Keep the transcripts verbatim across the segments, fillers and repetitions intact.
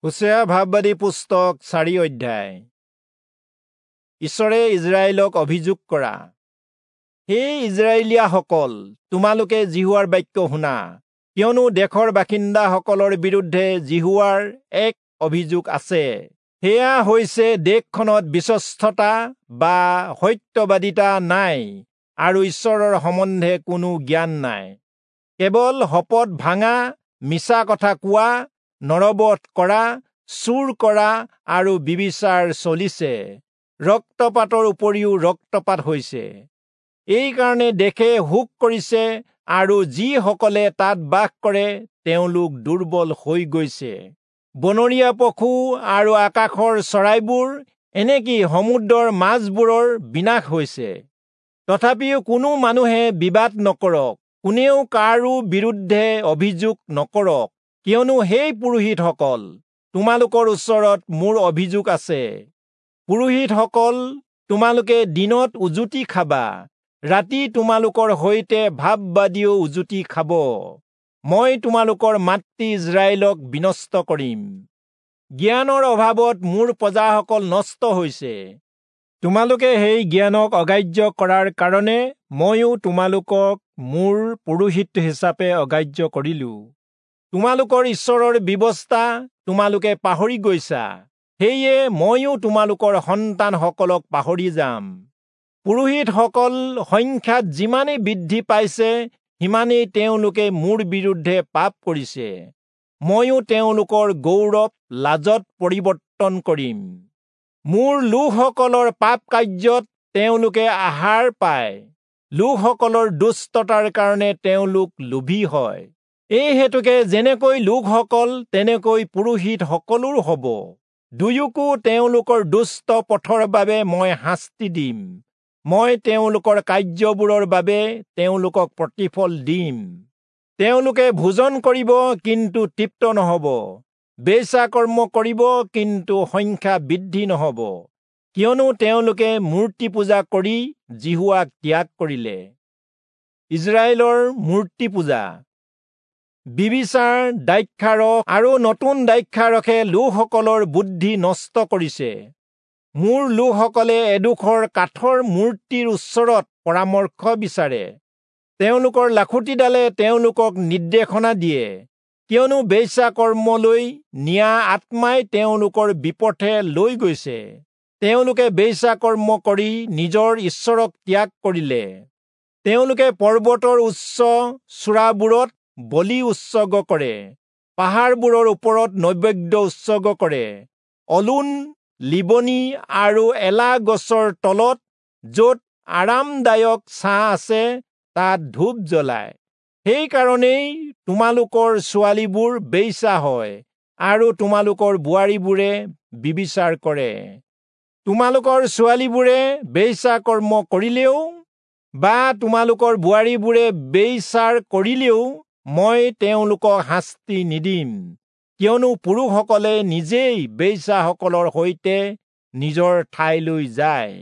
হোচেয়া ভাববাদী পুস্তক চাৰি অধ্যায়। ঈশ্বৰে ইজৰাইলক অভিযোগ কৰা। হে ইজৰাইলীয়াসকল, তোমালোকে যিহোৱাৰ বাক্য শুনা, কিয়নো দেশৰ বাসিন্দাসকলৰ বিৰুদ্ধে যিহোৱাৰ এক অভিযোগ আছে। সেয়া হৈছে দেশখনত বিশ্বস্ততা বা সত্যবাদিতা নাই আৰু ঈশ্বৰৰ সম্বন্ধে কোনো জ্ঞান নাই। কেৱল শপত ভাঙা, মিছা কথা কোৱা, নৰবধ কৰা, চুৰ কৰা আৰু ব্যভিচাৰ চলিছে। ৰক্তপাতৰ উপৰিও ৰক্তপাত হৈছে। এইকাৰণে দেশে শোক কৰিছে আৰু যিসকলে তাত বাস কৰে তেওঁলোক দুৰ্বল হৈ গৈছে। বনৰীয়া পশু আৰু আকাশৰ চৰাইবোৰ, এনেকি সমুদ্ৰৰ মাছবোৰৰ বিনাশ হৈছে। তথাপিও কোনো মানুহে বিবাদ নকৰক, কোনেও কাৰো বিৰুদ্ধে অভিযোগ নকৰক, কিয়নো সেই পুৰোহিতসকল, তোমালোকৰ ওচৰত মোৰ অভিযোগ আছে। পুৰোহিতসকল, তোমালোকে দিনত উজুতি খাবা, ৰাতি তোমালোকৰ সৈতে ভাববাদীয়েও উজুতি খাব। মই তোমালোকৰ মাতৃ ইজৰাইলক বিনষ্ট কৰিম। জ্ঞানৰ অভাৱত মোৰ প্ৰজাসকল নষ্ট হৈছে। তোমালোকে সেই জ্ঞানক অগ্ৰাহ্য কৰাৰ কাৰণে ময়ো তোমালোকক মোৰ পুৰোহিত হিচাপে অগ্ৰাহ্য কৰিলো। তোমালোকৰ ঈশ্বৰৰ ব্যৱস্থা তোমালোকে পাহৰি গৈছা, সেয়ে ময়ো তোমালোকৰ সন্তানসকলক পাহৰি যাম। পুৰোহিতসকল সংখ্যাত যিমানেই বৃদ্ধি পাইছে, সিমানেই তেওঁলোকে মোৰ বিৰুদ্ধে পাপ কৰিছে। ময়ো তেওঁলোকৰ গৌৰৱ লাজত পৰিৱৰ্তন কৰিম। মোৰ লোকসকলৰ পাপ কাৰ্যত তেওঁলোকে আহাৰ পায়, লোকসকলৰ দুষ্টতাৰ কাৰণে তেওঁলোক লোভী হয়। এই হেতুকে যেনেকৈ লোকসকল, তেনেকৈ পুৰোহিতসকলো হ'ব। দুয়োকো তেওঁলোকৰ দুষ্ট পথৰ বাবে মই শাস্তি দিম। মই তেওঁলোকৰ কাৰ্যবোৰৰ বাবে তেওঁলোকক প্ৰতিফল দিম। তেওঁলোকে ভোজন কৰিব, কিন্তু তৃপ্ত নহ'ব, বেশ্যাকৰ্ম কৰিব, কিন্তু সংখ্যা বৃদ্ধি নহ'ব, কিয়নো তেওঁলোকে মূৰ্তি পূজা কৰি যিহোৱাক ত্যাগ কৰিলে। ইজৰাইলৰ মূৰ্তি পূজা। ব্যভিচাৰ, দ্ৰাক্ষাৰস আৰু নতুন দ্ৰাক্ষাৰসে লোকসকলৰ বুদ্ধি নষ্ট কৰিছে। মোৰ লোকসকলে এডোখৰ কাঠৰ মূৰ্তিৰ ওচৰত পৰামৰ্শ বিচাৰে। তেওঁলোকৰ লাখুটিডালে তেওঁলোকক নিৰ্দেশনা দিয়ে, কিয়নো বেশ্যাকৰ্মলৈ নিয়া আত্মাই তেওঁলোকৰ বিপথে লৈ গৈছে। তেওঁলোকে বেশ্যাকৰ্ম কৰি নিজৰ ঈশ্বৰক ত্যাগ কৰিলে। তেওঁলোকে পৰ্বতৰ উচ্চ চূড়াবোৰত বলি উৎসৰ্গ কৰে, পাহাৰবোৰৰ ওপৰত নৈবেদ্য উৎসৰ্গ কৰে। অলুন, লিবনী আৰু এলা গছৰ তলত, য'ত আৰামদায়ক ছাঁ আছে, তাত ধূপ জ্বলায়। সেইকাৰণেই তোমালোকৰ ছোৱালীবোৰ বেশ্যা হয় আৰু তোমালোকৰ বোৱাৰীবোৰে ব্যভিচাৰ কৰে। তোমালোকৰ ছোৱালীবোৰে বেশ্যাকৰ্ম কৰিলেও বা তোমালোকৰ বোৱাৰীবোৰে ব্যভিচাৰ কৰিলেও মই তেওঁলোকক শাস্তি নিদিম, কিয়নো পুৰুষসকলে নিজেই বেশ্যাসকলৰ সৈতে নিজৰ ঠাইলৈ যায়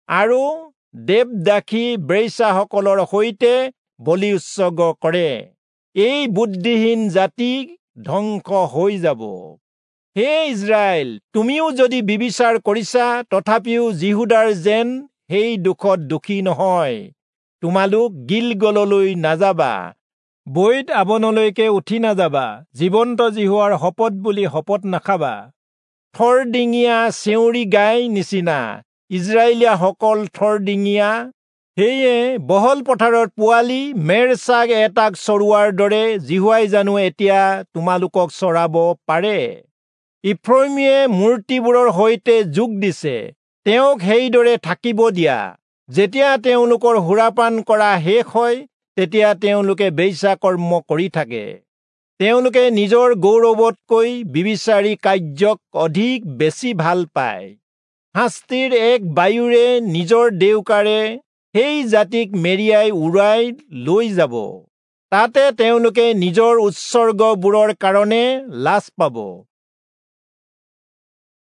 আৰু দেৱদাসী বেশ্যাসকলৰ সৈতে বলি উৎসৰ্গ কৰে। এই বুদ্ধিহীন জাতি ধ্বংস হৈ যাব। হে ইজৰাইল, তুমিও যদি ব্যভিচাৰ কৰিছা, তথাপিও যিহূদাৰ যেন সেই দোষত দোষী নহয়। তোমালোক গিলগললৈ নাযাবা, বৈৎ আবনলৈকে উঠি নাযাবা, জীৱন্ত যিহোৱাৰ শপত বুলি শপত নাখাবা। থৰডিঙীয়া চেউৰী গাই নিচিনা ইজৰাইলীয়াসকল থৰডিঙীয়া। সেয়ে বহল পথাৰত পোৱালি মেৰ ছাগ এটাক চৰোৱাৰ দৰে যিহোৱাই জানো এতিয়া তোমালোকক চৰাব পাৰে? ইফ্ৰয়িমীয়ে মূৰ্তিবোৰৰ সৈতে যোগ দিছে, তেওঁক সেইদৰে থাকিব দিয়া। যেতিয়া তেওঁলোকৰ সুৰাপান কৰা শেষ হয়, তেতিয়া তেওঁলোকে বেশ্যাকৰ্ম কৰি থাকে। তেওঁলোকে নিজৰ গৌৰৱতকৈ ব্যভিচাৰী কাৰ্যক অধিক বেছি ভাল পায়। শাস্তিৰ এক বায়ুৰে নিজৰ ডেউকাৰে সেই জাতিক মেৰিয়াই উৰাই লৈ যাব। তাতে তেওঁলোকে নিজৰ উৎসৰ্গবোৰৰ কাৰণে লাজ পাব।